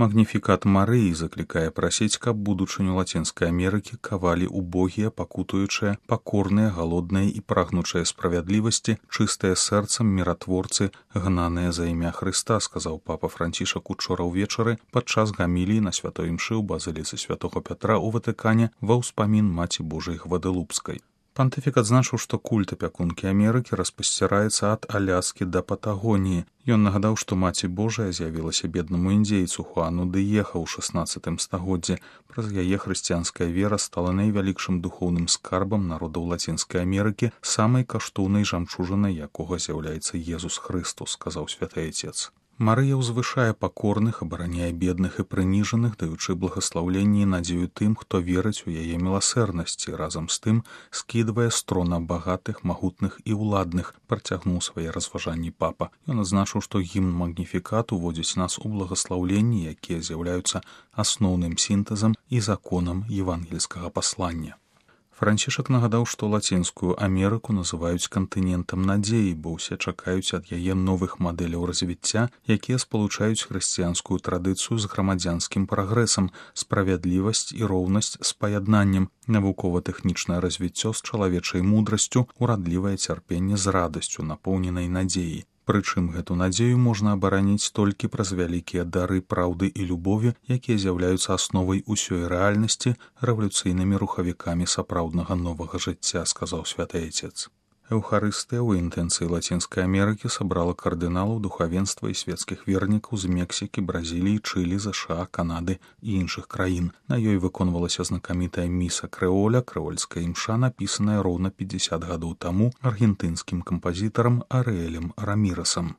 Магніфікат Марыі заклікае прасіць, каб будучыню Лацінскай Амерыкі кавалі убогія, пакутуючыя, пакорныя, галодныя і прагнучыя справядлівасці, чыстыя сэрцам міратворцы, гнаныя за імя Хрыста, сказаў папа Францішак учора ўвечары падчас гаміліі на святой імшы ў базыліцы святого Пятра ў Ватыкане ва ўспамін Маці Божай Гвадалупскай. Пантыфік адзначыў, што культ апякункі Амерыкі распасціраецца ад Аляскі да Патагоніі. Ён нагадаў, што Маці Божая з'явілася беднаму індзейцу Хуану Дыеха ў 16 стагоддзі. Праз яе хрысціянская вера стала найвялікшым духоўным скарбам народаў Лацінскай Амерыкі, самай каштоўнай жамчужынай якога з'яўляецца Езус Хрыстус, сказаў святы Айцец. Марыя ўзвышае пакорных, абараняе бедных і прыніжаных, даючы благаслаўленне і надзею тым, хто верыць у яе міласэрнасці, разам з тым скідвае з трона багатых, магутных і ўладных, працягнуў свае разважанні папа. Ён адзначыў, што гімн Магніфікат уводзіць нас у благаслаўленні, якія з'яўляюцца асноўным сінтэзам і законам евангельскага паслання. Францішак нагадаў, што Лацінскую Амерыку называюць кантынентам надзеі, бо ўсе чакаюць ад яе новых мадэляў развіцця, якія спалучаюць хрысціянскую традыцыю з грамадзянскім прагрэсам, справядлівасць і роўнасць з паяднаннем, навукова-тэхнічнае развіццё з чалавечай мудрасцю, урадлівае цярпенне з радасцю, напоўненай надзеі. Прычым гэту надзею можна абараніць толькі праз вялікія дары праўды і любові, якія з'яўляюцца асновай усёй рэальнасці, рэвалюцыйнымі рухавікамі сапраўднага новага жыцця, сказаў святы Айцец. Эўхарыстыя ў інтэнцыі Лацінскай Амерыкі сабрала кардыналаў, духавенства і свецкіх вернікаў з Мексікі, Бразіліі, Чылі, ЗША, Канады і іншых краін. На ёй выконвалася знакамітая міса крэоля, крэольская імша, напісаная роўна 50 гадоў таму аргентынскім кампазітарам Арыэлем Рамірасам.